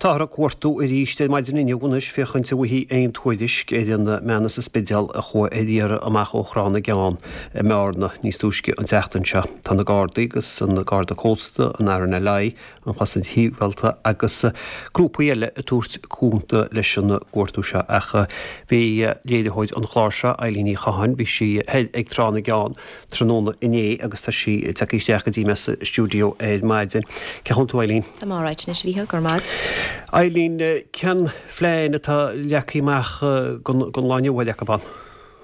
Táthar ag cuartú arís ar maidin inniu anois féachaint an bhfaighfí aon tuairisc ar an mbean as an Spidéal a chuaigh ar iarraidh amach ó Thrá na gCeann i mBearna níos túisce an tseachtain seo. Tá na Gardaí agus an Garda Cósta, an RNLI, an Chosaint Shibhialta agus grúpaí eile ag tabhairt cúnamh leis an gcuartú seo ach bhí léiritheoir an chláir seo, Eileen Ní Chatháin, bhí sí thoir ag Trá na gCeann tráthnóna inné agus tá sí tagtha isteach go dtí mé sa stiúideo ar maidin. Cén chaoi a bhfuil tú, Eileen? Tá mé alright anois, a Mhíchíl, go raibh maith agat. Eileen, cén phlean atá leagtha amach don lá inniu, ar acu ann?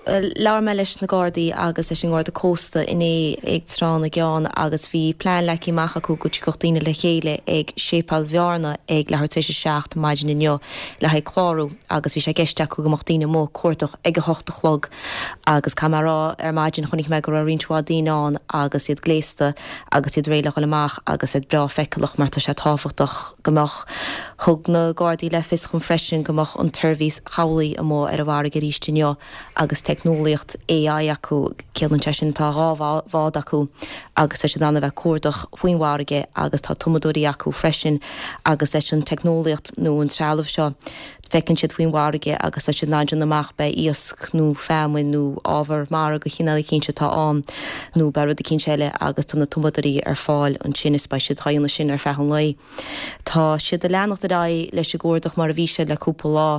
Bhuel, labhair mé leis na Gardaí agus leis an nGarda Cósta inné ag Trá na gCeann agus bhí plean leagtha amach acu go dtiocfadh daoine le chéile ag Séipéal Bhearna ag leathuair tar éis a 7 maidin inniu le haghaidh clárú agus bhí sé i gceist acu go mbeadh daoine amuigh ag cuardach ag a hocht a chlog Agus caithfidh mé a rá, ar maidin chonaic mé go raibh roinnt mhaith daoine ann agus iad gléasta agus iad réidh le dhul amach agus iad breá feiceálach mar tá sé tábhachtach go mbeadh. Thug na Gardaí le fios dhom freisin go mbeadh an tseirbhís chabhlaigh amuigh ar an bhfarraige arís inniu agus teicneolaíocht AI acu, ciallaíonn sé sin tá dhá bhád acu agus tá siad in ann a bheith ag cuardach faoin bhfarraige agus tá tumadóirí acu freisin agus leis an teicneolaíocht nó an trealamh seo Feiceann siad faoin bhfarraige agus tá siad in ann déanamh amach ab é iasc nó feamainn nó ábhar mara de chineál eicínt atá ann nó ab é rud eicínt eile agus tá na tumadóirí ar fáil ansin is beidh siad á dhéanamh sin ar feadh an lae. Tá siad ag leanacht ar aghaidh leis an gcuardach mar a bhí siad le cúpla lá.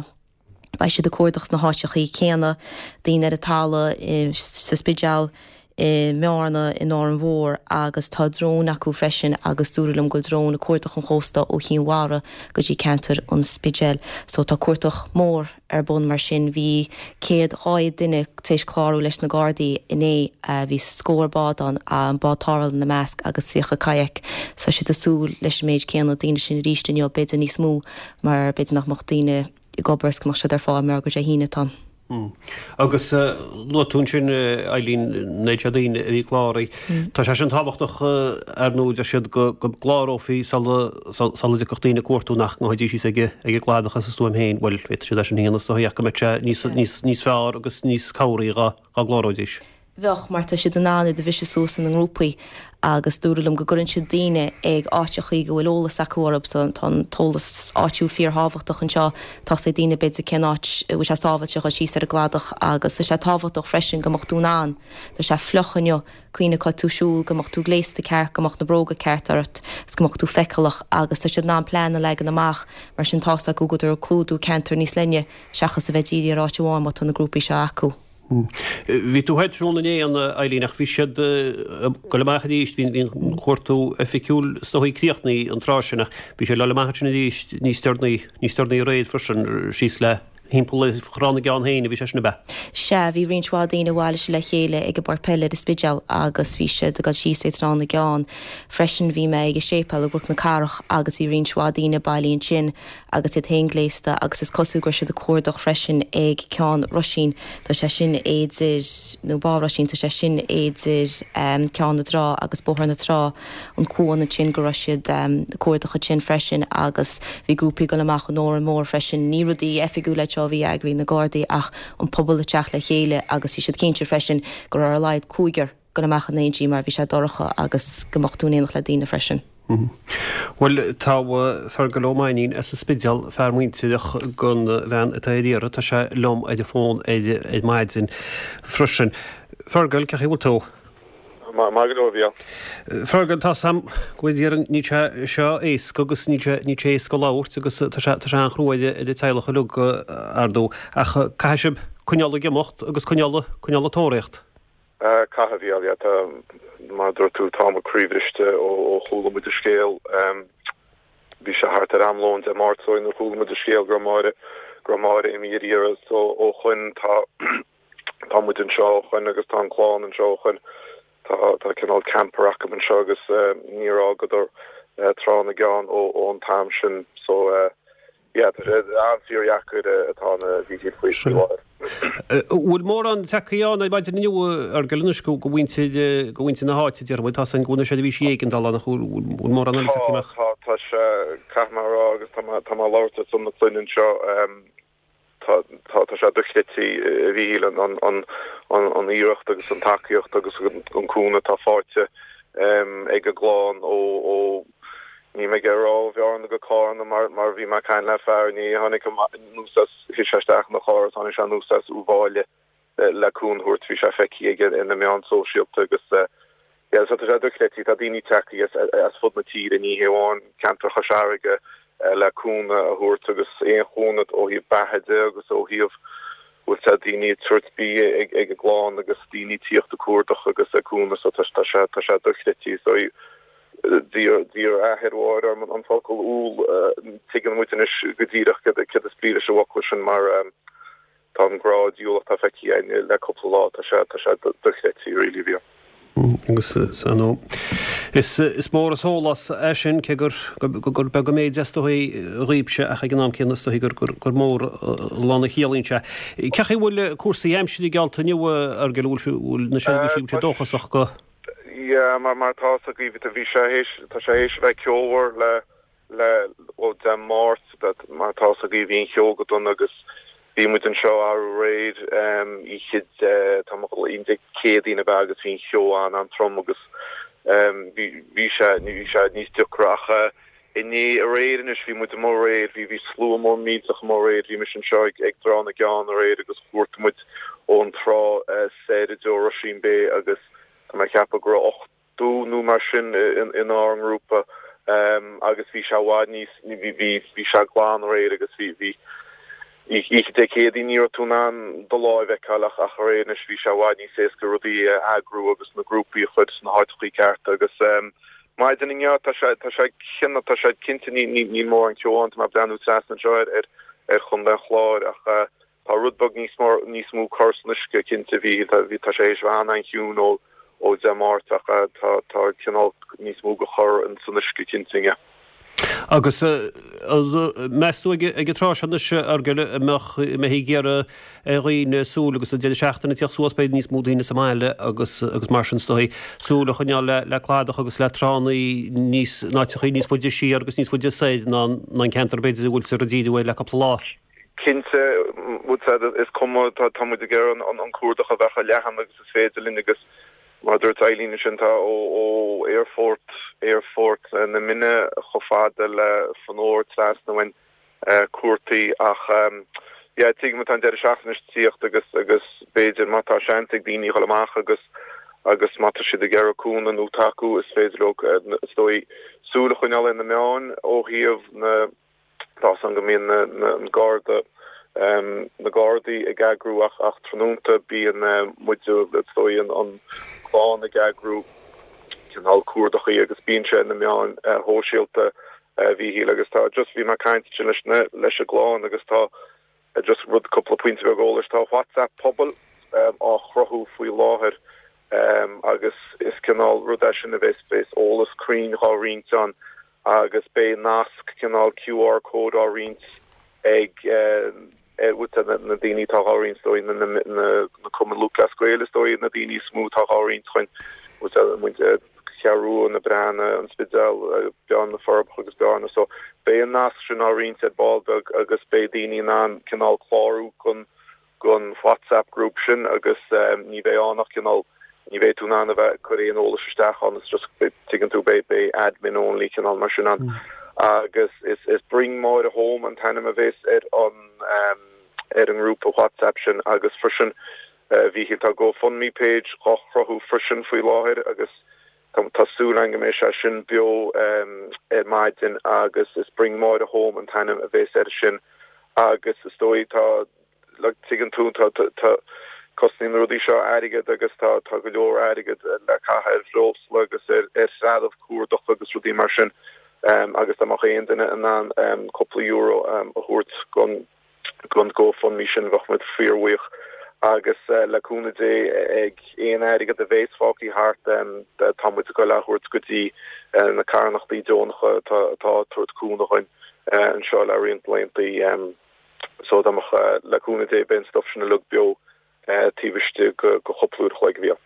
Beidh siad ag cuardach sna háiteachaí céanna, daoine ar an talamh, sa Spidéal, i mBearna, in Árainn Mhór agus tá dróin acu freisin agus dúradh liom go bhfuil dróin ag cuardach an chósta ó Chinn Mhara go dtí ceantar an Spidéil. So tá cuardach mór ar bun mar sin. Bhí 100, 200 duine tar éis clárú leis na Gardaí inné. Bhí scór bád ann, an bád tarrthála ina measc agus 30 kayak. So tá siad ag súil leis an méid céanna daoine sin arís inniu, b'fhéidir níos mó mar b'fhéidir nach mbeadh daoine ag obair is go mbeadh siad ar fáil mar gur Dé hAoine atá ann. Agus luaigh tú ansin, Eileen, an méid seo daoine a bhí cláraithe. Tá sé sin tábhachtach, ar ndóigh, deir siad go gclárófaí sula dtiocfadh daoine ag cuartú nach ngabhfaidís síos ag an gcladach as a stuaim féin. Bhuel, féadfaidh siad é sin a dhéanamh is dóigh ach go mbeadh sé níos fearr agus níos cabhraí dá gcláróidís. Bheadh, mar tá siad in ann iad a bhriseadh suas ina ngrúpaí agus dúradh liom go gcuireann siad daoine ag áiteachaí go bhfuil eolas acu orthu so tá an t-eolas áitiúil fíorthábhachtach anseo. Tá 's ag daoine b'fhéidir cén áit a bhfuil sé sábháilte a dhul síos ar an gcladach agus tá sé tábhachtach freisin go mbeadh tú in ann, tá sé fliuch inniu, cuimhnigh cá tú siúl, go mbeadh tú gléasta ceart, go mbeadh na bróga ceart ort is go mbeadh tú feiceálach agus tá siad in ann plean a leagan amach mar sin tá's acu go bhfuil siad ag clúdú ceantar níos leithne seachas a bheith dírithe ar áit amháin má tá na grúpaí seo acu. Bhí tú thoir tráthnóna inné, a Eileen, ach bhí siad ag dul amach arís, bhí an cuartú oifigiúil is dóigh críochnaithe an tráth sin ach bhí siad ag dul amach ansin arís níos deireanaí, níos deireanaí aréir freisin, síos le thimpeall Thrá na gCeann féin a bhí sé sin, ab ea? Sea, bhí roinnt mhaith daoine a bhailigh siad le chéile ag an bpáirc peile ar an Spidéal agus bhí siad ag dul síos ag Trá na gCeann. Freisin bhí mé ag an séipéal i gCnoc na Cathrach agus bhí roinnt mhaith daoine bailithe ansin agus iad féin gléasta agus is cosúil go raibh siad ag cuardach freisin ag Ceann Roisín, tá sé sin idir, nó Bá Roisín, tá sé sin idir Ceann na dTrá agus Bóthar na Trá, an cuan ansin, go raibh siad ag cuardach ansin freisin agus bhí grúpaí ag dul amach in Órán Mór freisin. Ní rudaí oifigiúla iad seo a bhí á eagrú ag na Gardaí ach an pobal ag teacht le chéile agus bhí siad cinnte freisin go raibh ar a laghad cúigear dul amach in éindí mar bhí sé dorcha agus go mbeadh tú in éineacht le daoine freisin. Bhuel, tá Fergal Ó Mainnín as an Spidéal, fear muintireach don bhean atá ar iarraidh, tá sé liom ar an bhfón ar maidin freisin. Fergal, cén chaoi a bhfuil tú? Maith go leor, a Mhíchíl. Fergal, tá 's a'm go bhfuil iarraidh, níl sé seo éasca agus níl sé, níl sé éasca labhairt agus tá sé, tá sé an-chrua ar an teaghlach uilig, ar ndóigh, ach caithfidh sibh coinneáil ag imeacht agus coinneáil, coinneáil ag tóraíocht. Caithfidh, a Mhíchíl, yeah, tá, mar a dúirt tú, tá muid croíbhriste ó chuala muid an scéal. Bhí sé thart ar am lóin Dé Máirt so nuair chuala muid an scéal go raibh Máire, go raibh Máire imithe ar iarraidh so ó shoin tá, tá muid anseo ó shoin agus tá an clann anseo ó shoin. Tá, tá cineál camper acu anseo agus níor fhágadar Trá na gCeann ó, ón t-am sin so Yeah, tá sé an-fhíordheacair atá a Mhíchíl faoi láthair. Bhfuil mórán tagtha ann ar maidin inniu, a Fheargail, anois go mhuintir, go mhuintir na háite, déarfaidh muid, tá 's againn go bhfuil na seirbhísí éigeandála ann ach bhfuil mórán eile tagtha amach? Tá, tá sé, caithfidh mé a rá agus tá mé, tá mé ag labhairt ar son na clainne anseo, tá, tá, tá sé dochreidte, a Mhíchíl, an, an, an, an, an iarracht agus an tacaíocht agus an, an cúnamh atá faighte ag an gclann ó, ó. Níl mé ag iarraidh a rá ó Bhearna go Cárna mar mar bhí mé ag caint le fear inné a tháinig anuas as, shuigh sé isteach ina charr agus tháinig sé anuas as Uíbh Fhailí le cúnamh a thabhairt, bhí sé feicthe aige ar na meáin sóisialta agus yeah so tá sé dochreidte, tá daoine tagtha as as fud na tíre, ní hé amháin ceantar Chois Fharraige le cúnamh a thabhairt agus aon chúnamh ó thaobh beatha de agus ó thaobh bhfuil sé daoine ag tabhairt bia ag ag an gclann agus daoine ag tíocht ag cuardach agus ag cúnamh so tá sé tá sé dochreidte so D'iarr athair Mháire orm an focal umhal, tuigeann muid anois go díreach céard is brí leis an bhfocal sin mar tá an grá diabhalach atá feicthe againn le cúpla lá, tá sé tá sé dochreidte really bhí. Agus ar ndóigh is mór an sólás é sin, cé gur gur beag an méid é is dóigh dhaoibhse ach ag an am céanna is dóigh gur gur mór an lán a chiallaíonn sé. Cén chaoi a bhfuil cúrsaí aimsire geallta inniu, a Fheargail, an bhfuil na seirbhísí an bhfuil siad dóchasach go? Yeah, mar mar atá fhios agaibh, bhí sé théis, tá sé théis a bheith ceomhar le, le, ó Dé Máirt, mar atá fhios agaibh, bhí an cheo go dona agus bhí muid anseo arú aréir, oíche Dé, tá mé ag dul, oíche Dé Céadaoin ab ea agus bhí an cheo an-an-trom agus bhí, bhí sé, bhí sé níos deacra ach inné, aréir anois, bhí muid amuigh aréir, bhí, bhí slua mór millteach amuigh aréir, bhí mise anseo ag, ag dTrá na gCeann aréir agus chuartaigh muid ón trá soir i dtreo Rusheen Bay agus Tá mé ag ceapadh go raibh 80 nó mar sin inár ngrúpa agus bhí sé i bhfad níos, bhí sé glan aréir agus bhí, bhí, oíche Dé Céadaoin ní raibh tú in ann do láimh a fheiceáil ach ach aréir anois bhí sé i bhfad níos éasca rudaí a eagrú agus na grúpaí a chur sna háiteachaí cearta agus maidin inniu tá sé, tá sé, tá sé cinnte ní, ní, níl mórán ceo ann, tá mé ag breathnú trasna anseo ar, ar, ar Chontae an Chláir ach Tá rud beag níos mó, níos mó cor san uisce, cinnte. Bhí, tá, bhí, tá sé théis a bheith an-an-chiúin ó, ó Dé Máirt ach tá, tá cineál níos mó de chor san uisce, cinnte, inniu. Agus meas tú ag an tráth seo anois, a Fheargail, an mbeadh, an mbeifí ag iarraidh ar dhaoine súil agus an deireadh seachtaine ag tíocht suas, beidh níos mó daoine sa mbaile agus, agus mar sin is dóigh, súil a choinneáil le, le cladach agus le tránna níos, in áiteachaí níos faide siar agus níos faide soir ná an ceantar b'fhéidir a bhfuiltear ag díriú air le cúpla lá. Cinnte, is cuma, tá muid ag iarraidh an cuardach a bheith chomh leathan agus is féidir linn agus mar a dúirt Eileen ansin, tá ó aerfort, aerfort na Minne chomh fada le Fanore trasna uainn cuartaithe ach yeah tuigim tá an deireadh seachtaine ag tíocht agus agus b'fhéidir má tá seans ag daoine dhul amach agus agus má tá siad ag iarraidh cúnamh nó tacú is féidir leo is dóigh súil a choinneáil ar na meáin ó thaobh na Tá a fhios agam go mbíonn na Garda, na Gardaí ag eagrú ach ach tráthnónta bíonn muid, is dóigh, an clann ag eagrú cineál cuardachaí agus bíonn sé ar na meáin shóisialta a Mhíchíl agus tá just bhí mé ag caint ansin leis na leis an gclann agus tá just rud cúpla pointe beag eolais tá WhatsApp pobail á chruthú faoi láthair agus is cineál rud é sin a bheas bheas eolas cruinn dhá roinnt ann agus beidh nasc cineál QR code á roinnt ag na daoine atá dhá roinnt, is dóigh, na Cumann Lúthchleas Gael is dóigh, na daoine is mó atá dhá roinnt chun muid Cheathrú Rua, na Breathnaigh, an Spidéal, Bearna, na Forbacha agus Bearna. So beidh an nasc sin á roinnt ar ball beag agus beidh daoine in ann cineál clárú don gon WhatsApp group sin agus ní bheidh ann ach cineál, ní bheidh tú in ann a bheith ag cur aon eolais isteach ann, it's just, tuigeann tú, beidh, beidh admin only cineál mar sin ann. Agus is, is Bring Máire Home an t-ainm a bhéas ar an, ar an ngrúpa WhatsApp sin agus freisin, a Mhíchíl, tá GoFundMe page dhá chruthú freisin faoi láthair agus tá, tá súil againn go mbeidh sé sin beo ar maidin agus is Bring Máire Home an t-ainm a bhéas air sin agus is dóigh tá, like, tuigeann tú, tá, tá, cosnaíonn na rudaí seo airgead agus tá, tá go leor airgead le caitheamh ar bhreosla agus ar, ar threalamh cuardach agus rudaí mar sin agus dá mbeadh aon duine in ann cúpla euro a thabhairt gon, gon GoFundMe sin bheadh muid fíorbhuíoch agus le cúnamh Dé ag aon airgead a bhéas fágtha thart tá muid ag goil á thabhairt go dtí na carthanachtaí deonacha atá, atá ag tabhairt cúnamh dhuinn anseo le roinnt laethanta. So dá mbeadh, le cúnamh Dé, beidh an stuif sin uilig beo taobh istigh de chúpla uair a chloig a bhí ann.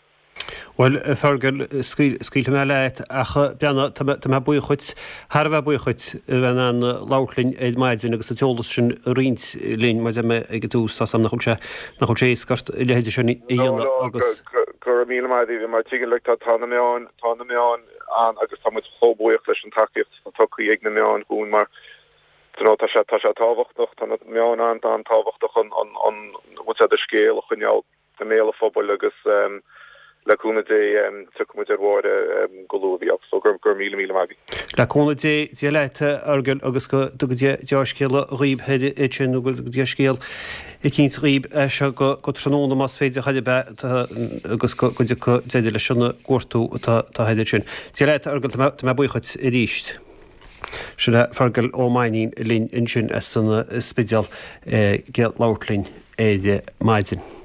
Bhuel, a Fergal, scaoilfidh mé leat ach breathnaigh, tá mé, tá mé buíoch dhuit, thar a bheith buíoch dhuit a bheith in ann labhairt linn ar maidin agus an t-eolas sin a roinnt linn, mar a deir mé ag an tús, tá 's agam nach bhfuil sé, nach bhfuil sé éasca ort a leithéid sin a dhéanamh agus. No, no, go raibh míle maith agat, mar tuigeann, like, tá, tá na meáin, tá na meáin. An agus tá muid chomh buíoch leis an tacaíocht atá tugtha ag na meáin dhúinn mar you know tá sé tá sé tábhachtach, tá na meáin an-an-tábhachtach an an an bhfuil a fhios agat scéal a choinneáil i mbéal an phobail agus le cúnamh Dé tiocfaidh muid ar Mháire go luath a Mhícheáil. So go raibh míle míle maith agaibh. Le cúnamh Dé, Dia leat a Fheargail agus go dtuga Dia deá-scéala dhaoib thoir ansin nó go dtuga Dia scéal eicínt dhaoib as seo go tráthnóna más féidir chor ar bith agus go dtiocfaidh deireadh leis an gcuartú atá thoir ansin. Dia leat a Fheargail, tá mé buíoch dhuit arís. Sin é Feargal Ó Mainnín linn ansin as an Spidéal ag labhairt linn ar maidin.